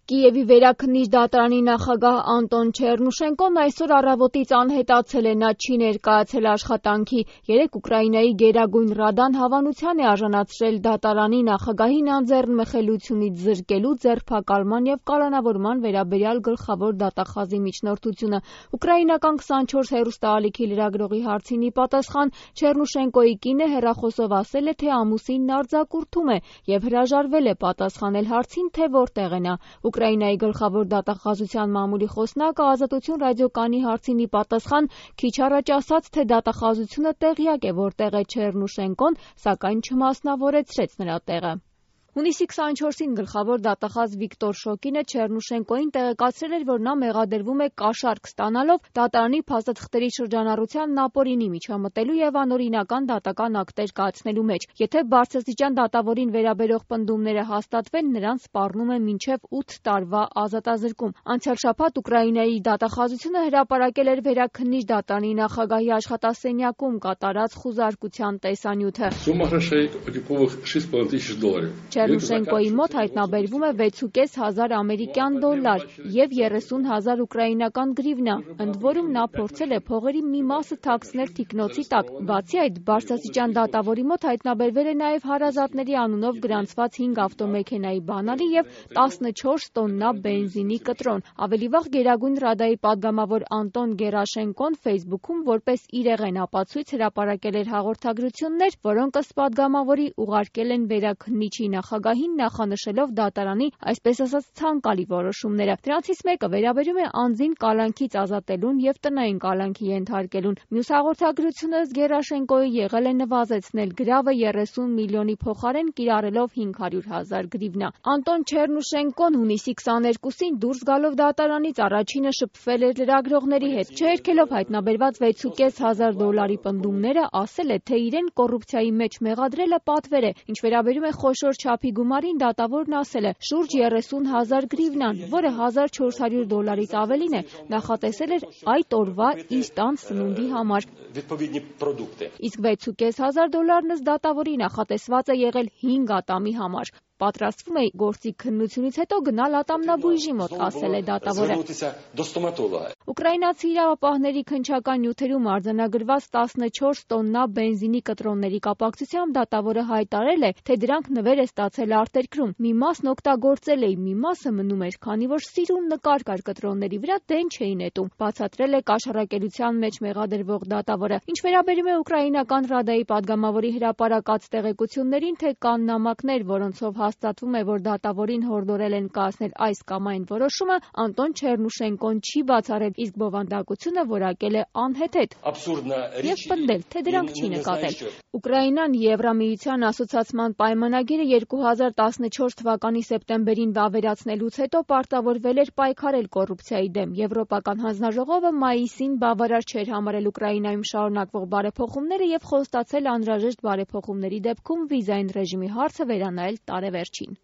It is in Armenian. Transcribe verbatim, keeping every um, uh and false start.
Կիևի վերաքննիչ դատարանի նախագահ Անտոն Չեռնուշենկոն այսօր առավոտից անհետացել է, նա չի ներկայացել աշխատանքի։ Երեկ Ուկրաինայի Գերագույն Ռադան հավանության է արժանացրել դատարանի նախագահին անձեռնմխելիությունից զրկելու, ձերբակալման և կալանավորման վերաբերյալ գլխավոր դատախազի միջնորդությունը։ Ուկրաինական քսանչորս հեռուստաալիքի լրագրողի հարցին ի պատասխան Չեռնուշենկոյի կինը հեռախոսով ասել է, թե ամուսինն արձակուրդում է և հրաժարվել է պատասխանել հարցին, թե որտեղ է նա։ Ուկրաինայի գլխավոր դատախազության մամուլի խոսնակը Ազատություն ռադիոկայանի հարցին ի պատասխան քիչ առաջ ասաց, թե դատախազությունը տեղյակ է, որտեղ է Չեռնուշենկոն, սակայն չմասնավորեցրեց նրա տեղը։ Հունիսի քսանչորսին գլխավոր դատախազ Վիկտոր Շոկինը Չեռնուշենկոյին տեղեկացրել էր, որ նա մեղադրվում է կաշառք ստանալով դատարանի փաստաթղթերի շրջանառության ապօրինի միջամտելու և անօրինական դատական ակտեր կայացնելու մեջ։ Եթե բարձրաստիճան դատավորին վերաբերող պնդումները հաստատվեն, նրան սպառնում է մինչև ութ տարվա ազատազրկում։ Անցյալ շաբաթ Ուկրաինայի դատախազությունը հրապարակել էր վերաքննիչ դատարանի նախագահի աշխատասենյակում կատարած խուզարկության տեսանյութը։ Չեռնուշենկոյի մոտ հայտնաբերվում է վեցուկես հազար ամերիկյան դոլար և երեսուն հազար ուկրաինական գրիվնա, ընդ որում նա փորձել է փողերի մի մասը թաքցնել թիկնոցի տակ։ Բացի այդ, բարձրաստիճան դատավորի մոտ հայտնաբերվել է նաև հարազատների անունով գրանցված հինգ ավտոմեքենայի բանալի և տասնչորս տոննա բենզինի կտրոն։ Ավելի վաղ Գերագույն Ռադայի պատգամավոր Անտոն Գերաշենկոն Facebook-ում որպես իրեղեն ապացույց հրապարակել էր հաղորդագրություններ, որոնք ըստ պատգամավորի ուղարկել են վերաքննիչի նախագահին, նախանշելով դատարանի, այսպես ասած, ցանկալի որոշումները։ Դրանցից մեկը վերաբերում է անձին կալանքից ազատելուն և տնային կալանքի ենթարկելուն։ Մյուս հաղորդագրությունը ըստ Գերաշենկոյի եղել է նվազեցնել գրավը երեսուն միլիոնի փոխարեն կիրառելով հինգ հարյուր հազար գրիվնա։ Անտոն Չեռնուշենկոն հունիսի քսաներկուսին դուրս գալով դատարանից առաջինը շփվել էր լրագրողների հետ։ Չհերքելով հայտնաբերված վեցուկես հազար դոլարի պնդումները, ասել է, թե իրեն կոռուպցիայի մեջ մեղադրելը պատվեր է։ Ինչ վերաբերում է խոշոր չափի գումարին, դատավորն ասել է, շուրջ երեսուն հազար գրիվնան, որը հազար չորս հարյուր դոլարից ավելին է, նախատեսել էր այդ օրվա իր տան սնունդի համար։ Իսկ վեցուկես հազար դոլարն ըստ դատավորի նախատեսված է եղել հինգ ատամի համար։ Պատրաստվում է գործի քննությունից հետո գնալ ատամնաբույժի մոտ, ասել է դատավորը։ Ուկրաինացի իրավապահների քննչական նյութերում արձանագրված տասնչորս տոննա բենզինի կտրոնների կապակցությամբ դատավորը հայտարարել է, թե դրանք նվեր է ստացել արտերկրում։ Մի մասն օգտագործել էի, մի մասը մնում էր, քանի որ սիրուն նկար կար կտրոնների վրա, դեն չէի նետում, բացատրել է կաշառակերության մեջ մեղադրվող դատավորը։ Ինչ վերաբերում է Ուկրաինական Ռադայի պատգամավորի հրապարակած տեղեկություններին, թե կան նամակներ, որոնցով հաստատվում է, որ դատավորին հորդորել են կայացնել այս կամ այն որոշումը, Անտոն Չեռնուշենկոն չի բացառել, իսկ բովանդակությունը որակել է անհեթեթ և պնդել, թե դրանք չի նկատել։ Ուկրաինան Եվրամիության ասոցացման պայմանագիրը երկու հազար տասնչորս թվականի սեպտեմբերին վավերացնելուց հետո պարտավորվել էր պայքարել կոռուպցիայի դեմ։ Եվրոպական հանձնաժողովը մայիսին բավարար չէր համարել Ուկրաինայում շարունակվող բարեփոխումները և խոստացել անհրաժեշտ բարեփոխումների դեպքում վիզային ռեժիմի հարցը վերանայել տարեվերջին։